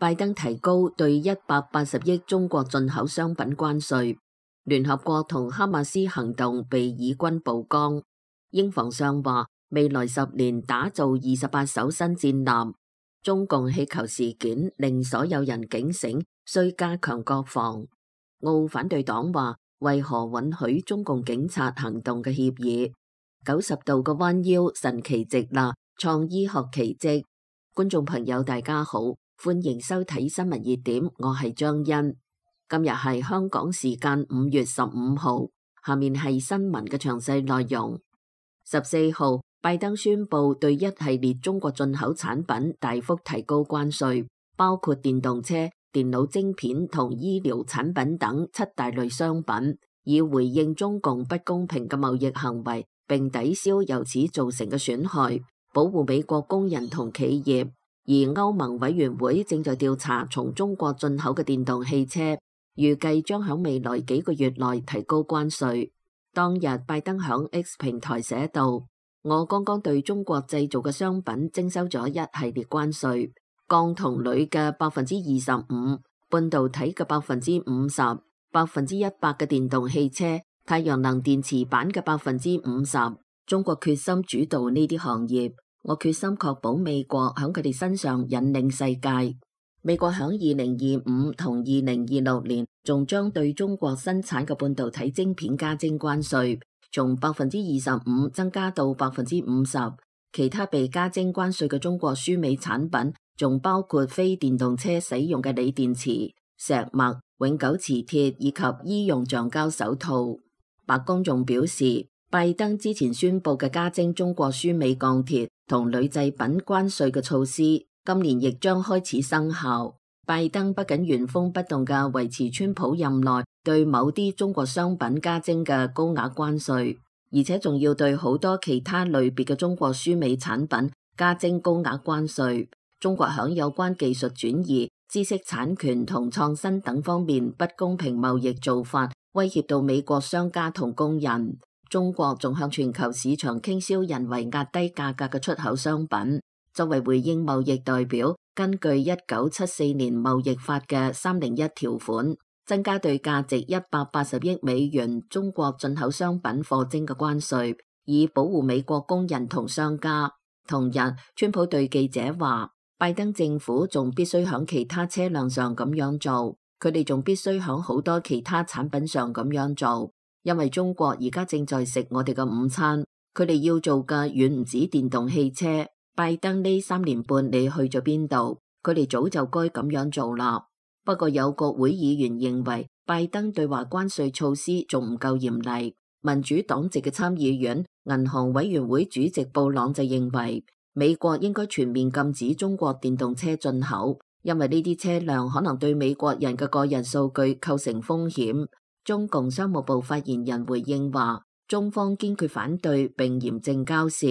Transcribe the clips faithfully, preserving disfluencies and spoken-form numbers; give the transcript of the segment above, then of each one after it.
拜登提高對一百八十億中國進口商品關稅。聯合國同哈馬斯行動被以軍曝光。英防相話未來十年打造二十八艘新戰艦。中共氣球事件令所有人警醒，需加強國防。澳反對黨話為何允許中共警察行動嘅協議？九十度嘅彎腰神奇直立，創醫學奇蹟。觀眾朋友大家好，歡迎收睇新聞熱點，我係張欣。今日係香港時間五月十五號，下面係新聞嘅詳細內容。十四號，拜登宣布對一系列中國進口產品大幅提高關稅，包括電動車、電腦晶片同醫療產品等七大類商品，以回應中共不公平嘅貿易行為，並抵消由此造成嘅損害，保護美國工人同企業。而歐盟委員會正在調查從中國進口嘅電動汽車，預計將喺未來幾個月內提高關稅。當日拜登響 X 平台寫道：我剛剛對中國製造嘅商品徵收咗一系列關稅，鋼同鋁嘅百分之二十五，半導體嘅百分之五十，百分之一百嘅電動汽車、太陽能電池板嘅百分之五十。中國決心主導呢啲行業。我決心確保美國喺佢哋身上引領世界。美國喺二零二五同二零二六年仲將對中國生產嘅半導體晶片加徵關稅，從百分之二十五增加到百分之五十。其他被加徵關稅嘅中國輸美產品，仲包括非電動車使用嘅鋰電池、石墨、永久磁鐵以及醫用橡膠手套。白宮仲表示，拜登之前宣布嘅加徵中國輸美鋼鐵同鋁製品關稅嘅措施，今年亦將開始生效。拜登不僅原封不動嘅維持川普任內對某啲中國商品加徵嘅高額關稅，而且仲要對好多其他類別嘅中國輸美產品加徵高額關稅。中國響有關技術轉移、知識產權同創新等方面不公平貿易做法，威脅到美國商家同工人。中國仲向全球市場傾銷人為壓低價格嘅出口商品。作為回應貿易代表，根據一九七四年貿易法嘅三零一條款，增加對價值一百八十億美元中國進口商品課徵嘅關稅，以保護美國工人同商家。同日，川普對記者話，拜登政府仲必須響其他車輛上咁樣做，佢哋仲必須響好多其他產品上咁樣做。因為中國而家正在食我哋嘅午餐，佢哋要做嘅遠唔止電動汽車。拜登呢三年半你去咗邊度？佢哋早就該咁樣做啦。不過有國會議員認為拜登對華關稅措施仲唔夠嚴厲。民主黨籍嘅參議院銀行委員會主席布朗就認為美國應該全面禁止中國電動車進口，因為呢啲車輛可能對美國人嘅個人數據構成風險。中共商務部發言人回應話，中方堅決反對並嚴正交涉。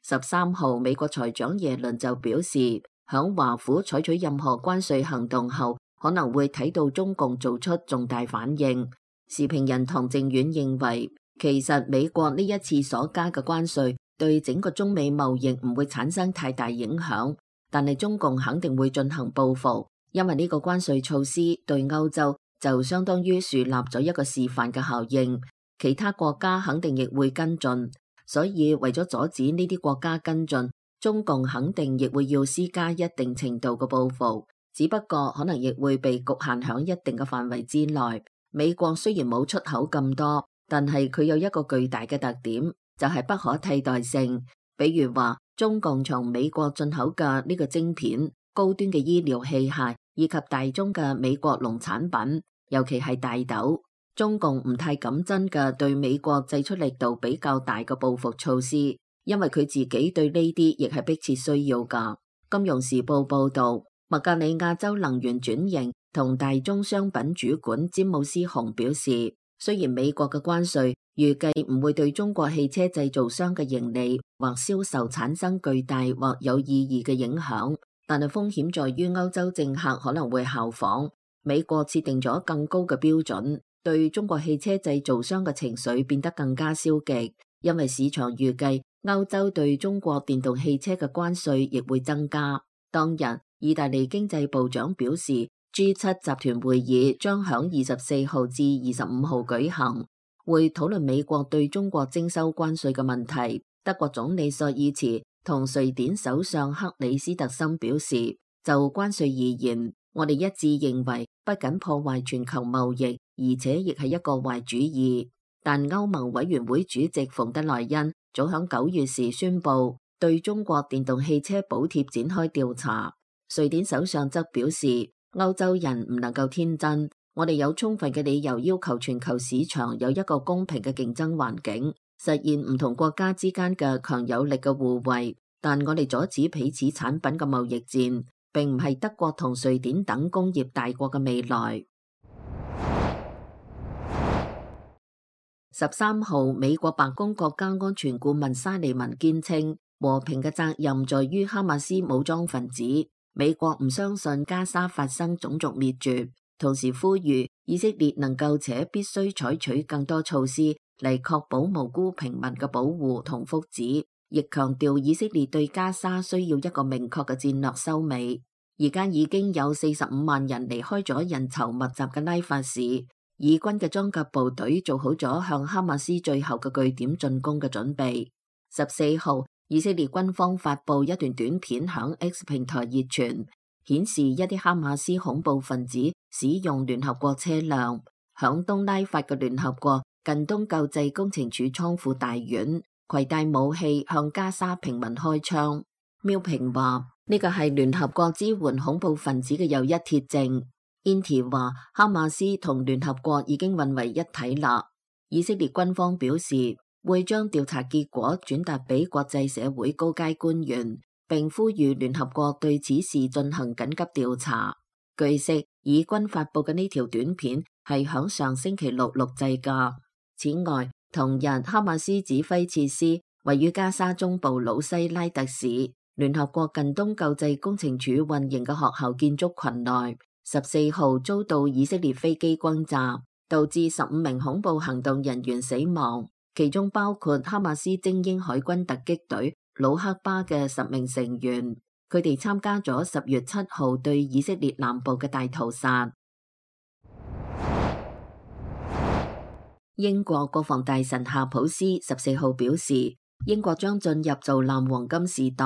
十三號，美國財長耶倫就表示，響華府採取任何關稅行動後，可能會睇到中共做出重大反應。時評人唐靖遠認為，其實美國呢一次所加嘅關稅對整個中美貿易唔會產生太大影響，但係中共肯定會進行報復，因為呢個關稅措施對歐洲就相當於樹立咗一個示範嘅效應，其他國家肯定亦會跟進，所以為咗阻止呢啲國家跟進，中共肯定亦會要施加一定程度嘅報復，只不過可能亦會被局限喺一定嘅範圍之內。美國雖然冇出口咁多，但係佢有一個巨大嘅特點，就係不可替代性。比如話，中共從美國進口嘅呢個晶片、高端嘅醫療器械以及大宗嘅美國農產品。尤其係大豆，中共唔太敢真嘅對美國祭出力度比較大嘅報復措施，因為佢自己對呢啲亦係迫切需要㗎。金融時報報導，麥格里亞州能源轉型同大宗商品主管詹姆斯雄表示，雖然美國嘅關稅預計唔會對中國汽車製造商嘅盈利或銷售產生巨大或有意義嘅影響，但係風險在於歐洲政客可能會效仿。美國設定咗更高嘅標準，對中國汽車製造商嘅情緒變得更加消極，因為市場預計歐洲對中國電動汽車嘅關稅亦會增加。當日，意大利經濟部長表示 G 七 集團會議將響二十四號至二十五號舉行，會討論美國對中國徵收關稅嘅問題。德國總理朔爾茨同瑞典首相克里斯特森表示，就關稅而言，我哋一致認為不僅破壞全球貿易，而且亦係一個壞主意。但歐盟委員會主席馮德萊恩早響九月時宣布對中國電動汽車補貼展開調查。瑞典首相則表示，歐洲人唔能夠天真，我哋有充分嘅理由要求全球市場有一個公平嘅競爭環境，實現唔同國家之間嘅強有力嘅互惠。但我哋阻止彼此產品嘅貿易戰，並唔係德國同瑞典等工業大國嘅未來。十三號，美國白宮國家安全顧問沙利文堅稱，和平嘅責任在於哈馬斯武裝分子。美國唔相信加沙發生種族滅絕，同時呼籲以色列能夠且必須採取更多措施嚟確保無辜平民嘅保護同福祉。亦強調以色列對加沙需要一個明確嘅戰略收尾。而家已經有四十五萬人離開咗人稠密集嘅拉法市，以軍嘅裝甲部隊做好咗向哈馬斯最後嘅據點進攻嘅準備。十四號，以色列軍方發布一段短片響 X 平台熱傳，顯示一啲哈馬斯恐怖分子使用聯合國車輛響東拉法嘅聯合國近東救濟工程處倉庫大院攜帶武器向加沙平民開槍。苗平話呢個係聯合國支援恐怖分子嘅又一鐵證。Inti 話哈馬斯同聯合國已經混為一體啦。以色列軍方表示會將調查結果轉達俾國際社會高階官員，並呼籲聯合國對此事進行緊急調查。據悉，以軍發佈嘅呢條短片係響上星期六錄製噶。此外，同日哈馬斯指揮設施位於加沙中部魯西拉特市聯合國近東救濟工程處運營嘅學校建築群內，十四號遭到以色列飛機轟炸，導致十五名恐怖行動人員死亡，其中包括哈馬斯精英海軍突擊隊魯克巴嘅十名成員。佢哋參加咗十月七號對以色列南部嘅大屠殺。英國國防大臣夏普斯十四號表示，英國將進入造艦黃金時代，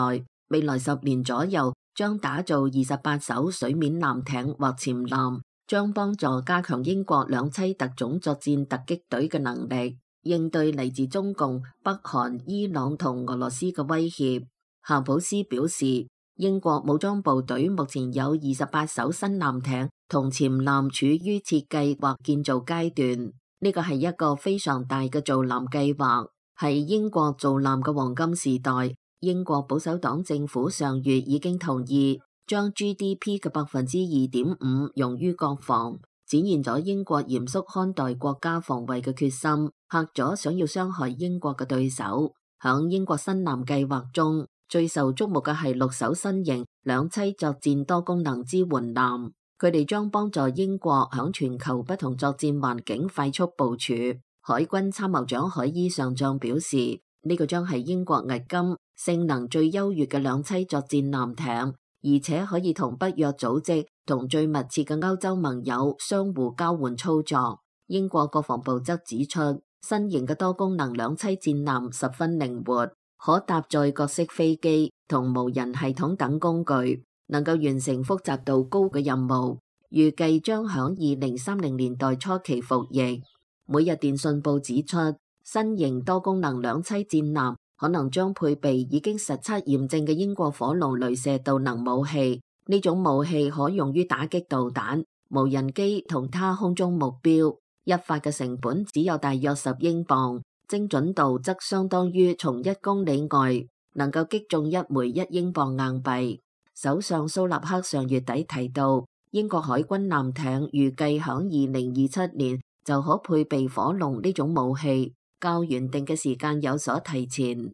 未來十年左右將打造二十八艘水面艦艇或潛艦，將幫助加強英國兩棲特種作戰突擊隊嘅能力，應對嚟自中共、北韓、伊朗同俄羅斯嘅威脅。夏普斯表示，英國武裝部隊目前有二十八艘新艦艇同潛艦處於設計或建造階段。呢個係一個非常大嘅造艦計劃，係英國造艦嘅黃金時代。英國保守黨政府上月已經同意將 G D P 嘅百分之二點五用於國防，展現咗英國嚴肅看待國家防衛嘅決心，嚇咗想要傷害英國嘅對手。響英國新艦計劃中，最受矚目嘅係六艘新型兩棲作戰多功能支援艦。佢哋將幫助英國響全球不同作戰環境快速部署。海軍參謀長海伊上將表示，呢個將係英國迄今性能最優越嘅兩棲作戰艦艇，而且可以同北約組織同最密切嘅歐洲盟友相互交換操作。英國國防部則指出，新型嘅多功能兩棲戰艦十分靈活，可搭載各式飛機同無人系統等工具，能夠完成複雜度高嘅任務，預計將響二零三零年代初期服役。每日電訊報指出，新型多功能兩棲戰艦可能將配備已經實測驗證嘅英國火龍鐳射導能武器，呢種武器可用於打擊導彈、無人機同他空中目標，一發嘅成本只有大約十英鎊，精準度則相當於從一公里外能夠擊中一枚一英鎊硬幣。首相蘇納克上月底提到，英國海軍艦艇預計響二零二七年就可配備火龍呢種武器，較原定嘅時間有所提前。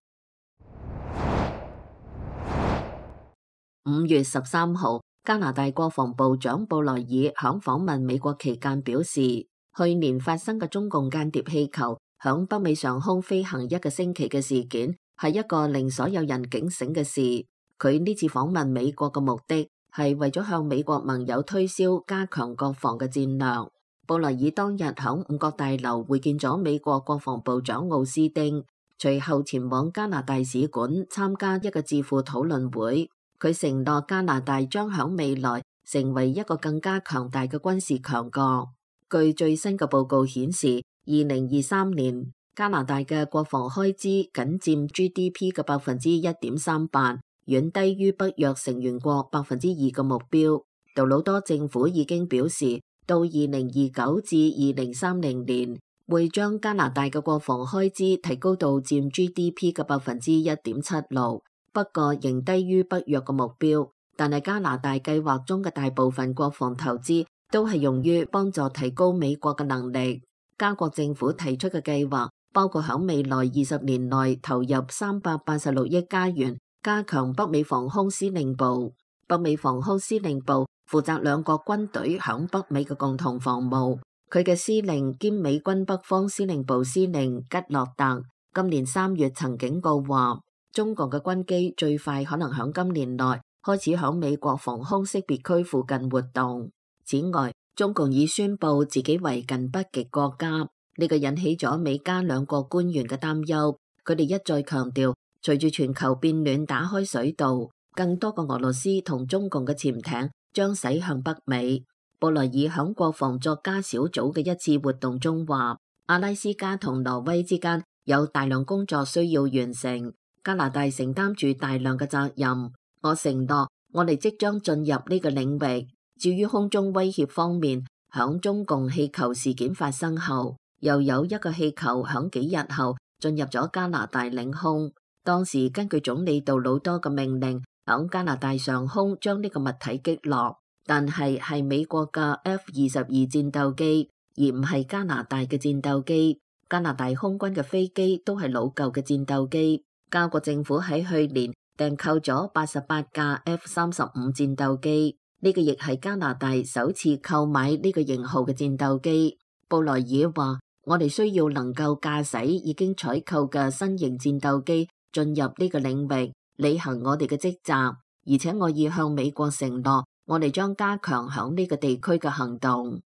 五月十三號，加拿大國防部長布萊爾響訪問美國期間表示，去年發生嘅中共間諜氣球響北美上空飛行一個星期嘅事件，係一個令所有人警醒嘅事。佢呢次訪問美國嘅目的係為咗向美國盟友推銷加強國防嘅戰略。布萊爾當日響五角大樓會見咗美國國防部長奧斯汀，隨後前往加拿大使館參加一個智庫討論會。佢承諾加拿大將響未來成為一個更加強大嘅軍事強國。據最新嘅報告顯示，二零二三年加拿大嘅國防開支僅佔 G D P 嘅百分之一點三八，遠低於北約成員國百分之二嘅目標。杜魯多政府已經表示，到二零二九至二零三零年會將加拿大嘅國防開支提高到佔 G D P 嘅百分之一點七六，不過仍低於北約嘅目標。但係加拿大計劃中嘅大部分國防投資都係用於幫助提高美國嘅能力。加國政府提出嘅計劃包括喺未來二十年內投入三百八十六億加元，加強北美防空司令部。北美防空司令部負責兩國軍隊響北美嘅共同防務。佢嘅司令兼美軍北方司令部司令吉洛特今年三月曾警告話，中共嘅軍機最快可能響今年內開始響美國防空識別區附近活動。此外，中共已宣布自己為近北極國家，呢個引起咗美加兩國官員嘅擔憂。佢哋一再強調，隨住全球變暖打開水道，更多個俄羅斯同中共嘅潛艇將駛向北美。布萊爾響國防作家小組嘅一次活動中話，阿拉斯加同挪威之間有大量工作需要完成，加拿大承擔住大量嘅責任。我承諾，我哋即將進入呢個領域。至於空中威脅方面，響中共氣球事件發生後，又有一個氣球響幾日後進入咗加拿大領空。當時根據總理杜魯多嘅命令，響加拿大上空將呢個物體擊落，但係係美國嘅 F 二十二戰鬥機，而唔係加拿大嘅戰鬥機。加拿大空軍嘅飛機都係老舊嘅戰鬥機。加國政府喺去年訂購咗八十八架 F 三十五戰鬥機，呢個亦係加拿大首次購買呢個型號嘅戰鬥機。布萊爾話，我哋需要能夠駕駛已經採購嘅新型戰鬥機進入呢個領域，履行我哋嘅職責，而且我已向美國承諾，我哋將加強響呢個地區嘅行動。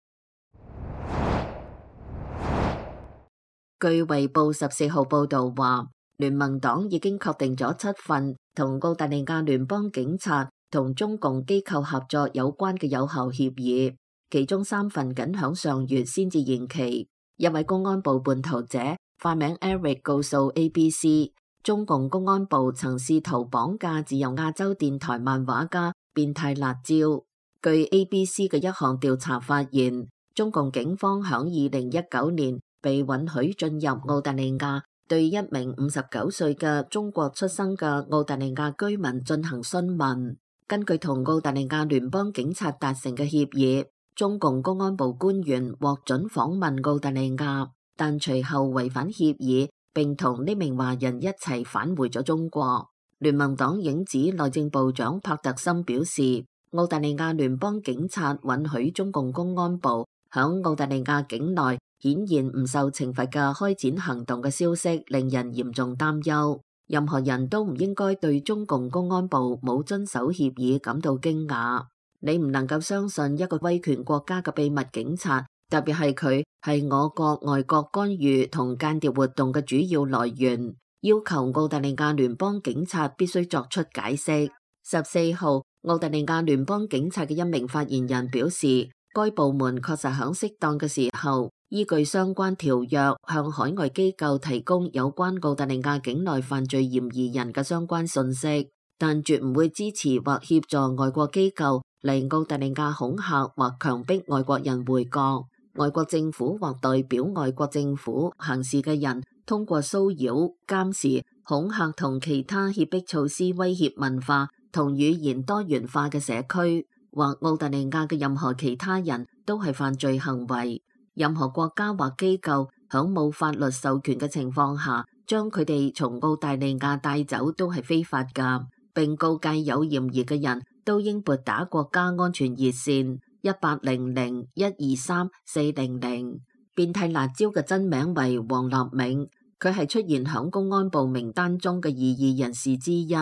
據衛報十四號報道話，聯盟黨已經確定咗七份同澳大利亞聯邦警察同中共機構合作有關嘅有效協議，其中三份僅響上月先至延期。一位公安部叛徒者化名 Eric 告訴 A B C， 中共公安部曾試圖綁架自由亞洲電台漫畫家變態辣椒。據 A B C 嘅一項調查發現，中共警方響二零一九年被允許進入澳大利亞，對一名五十九歲嘅中國出生嘅澳大利亞居民進行詢問。根據同澳大利亞聯邦警察達成嘅協議，中共公安部官員獲准訪問澳大利亞，但隨後違反協議，並同呢名華人一齊返回咗中國。聯盟黨影子內政部長帕特森表示，澳大利亞聯邦警察允許中共公安部響澳大利亞境內顯現唔受懲罰嘅開展行動嘅消息，令人嚴重擔憂。任何人都唔應該對中共公安部冇遵守協議感到驚訝。你唔能夠相信一個威權國家嘅秘密警察，特別係佢係我國外國干預同間諜活動嘅主要來源，要求澳大利亞聯邦警察必須作出解釋。十四號，澳大利亞聯邦警察嘅一名發言人表示，該部門確實喺適當嘅時候，依據相關條約向海外機構提供有關澳大利亞境內犯罪嫌疑人嘅相關信息，但絕唔會支持或協助外國機構嚟澳大利亞恐嚇或強迫外國人回國。外國政府或代表外國政府行事嘅人，通過騷擾、監視、恐嚇同其他脅迫措施威脅文化同語言多元化嘅社區，或澳大利亞嘅任何其他人都係犯罪行為。任何國家或機構響冇法律授權嘅情況下，將佢哋從澳大利亞帶走都係非法㗎，並告誡有嫌疑嘅人都應撥打國家安全熱線一八零零一二三四零零。變態辣椒嘅真名為黃立銘，佢係出現響公安部名單中嘅異議人士之一。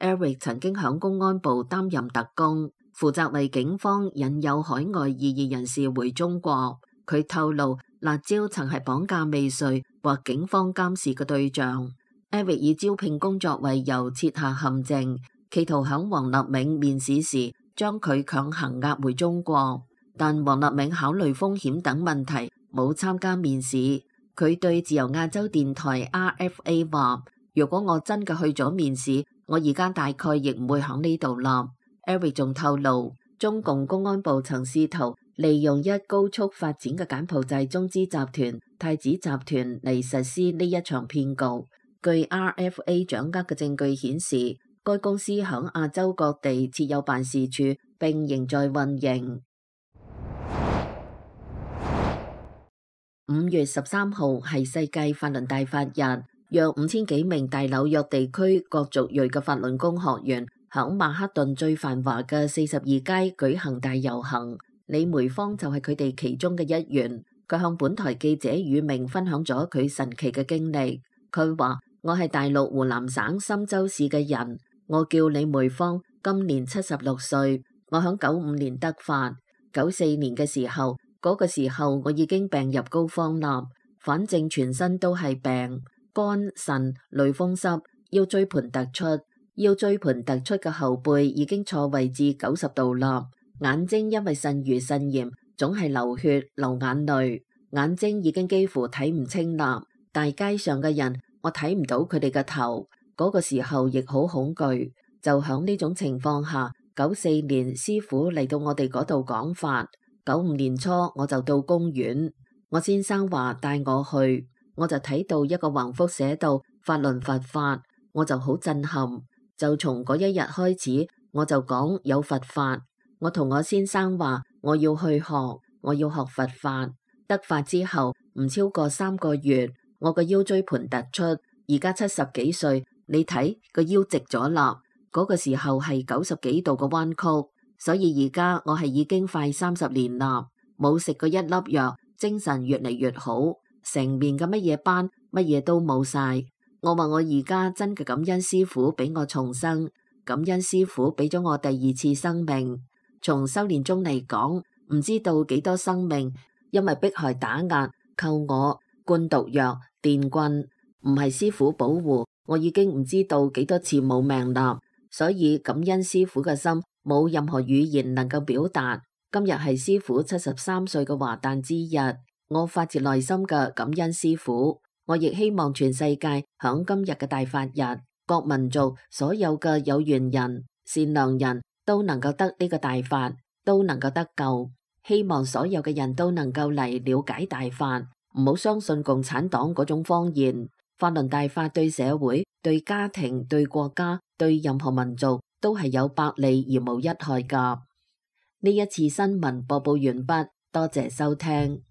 Eric 曾經響公安部擔任特工，負責為警方引誘海外異議人士回中國。佢透露，辣椒曾係綁架未遂或警方監視嘅對象。Eric 以招聘工作為由設下陷阱，企圖響王立銘面試時將佢強行押回中國。但王立銘考慮風險等問題，冇參加面試。佢對自由亞洲電台 R F A 話：如果我真嘅去咗面試，我而家大概亦唔會響呢度啦。Eric 仲透露，中共公安部曾試圖利用一高速發展嘅柬埔寨中資集團太子集團嚟實施呢一場騙局。據 R F A 掌握嘅證據顯示，該公司響亞洲各地設有辦事處，並仍在運營。五月十三號係世界法輪大法日，約五千幾名大紐約地區各族裔嘅法輪功學員響曼克頓最繁華嘅四十二街舉行大遊行。李梅芳就係佢哋其中嘅一員。佢向本台記者宇明分享咗佢神奇嘅經歷。佢話：我係大陸湖南省深州市嘅人，我叫李梅芳，今年七十六歲。我響九五年得法，九四年嘅時候。嗰個時候我已經病入膏肓啦，反正全身都係病，肝腎類風濕，腰椎盤突出，腰椎盤突出嘅後背已經錯位至九十度啦，眼睛因為腎盂腎炎總係流血流眼淚，眼睛已經幾乎睇唔清啦，大街上嘅人我睇唔到佢哋嘅頭，嗰個時候亦好恐懼。就響呢種情況下，九四年師傅嚟到我哋嗰度講法。九五年初我就到公園，我先生話帶我去，我就睇到一個橫幅寫到法輪佛法，我就好震撼。就從嗰一日開始，我就講有佛法。我同我先生話我要去學，我要學佛法。得法之後唔超過三個月，我個腰椎盤突出，而家七十幾歲，你睇個腰直咗啦。嗰個時候係九十幾度嘅彎曲。所以而家我係已經快三十年啦，冇食過一粒藥，精神越嚟越好，成面嘅乜嘢斑，乜嘢都冇晒。我話我而家真嘅感恩師傅俾我重生，感恩師傅俾咗我第二次生命。從修煉中嚟講，唔知道幾多生命因為迫害打壓、扣我、灌毒藥、電棍，唔係師傅保護，我已經唔知道幾多次冇命啦。所以感恩師傅嘅心，冇任何語言能夠表達。今日係師傅七十三歲嘅華誕之日，我發自內心嘅感恩師傅。我亦希望全世界響今日嘅大法日，各民族所有嘅有緣人、善良人都能夠得呢個大法，都能夠得救。希望所有嘅人都能夠嚟了解大法，唔好相信共產黨嗰種謊言。法輪大法對社會、對家庭、對國家、對任何民族都係有百利而無一害㗎。呢一次新聞播報完畢，多謝收聽。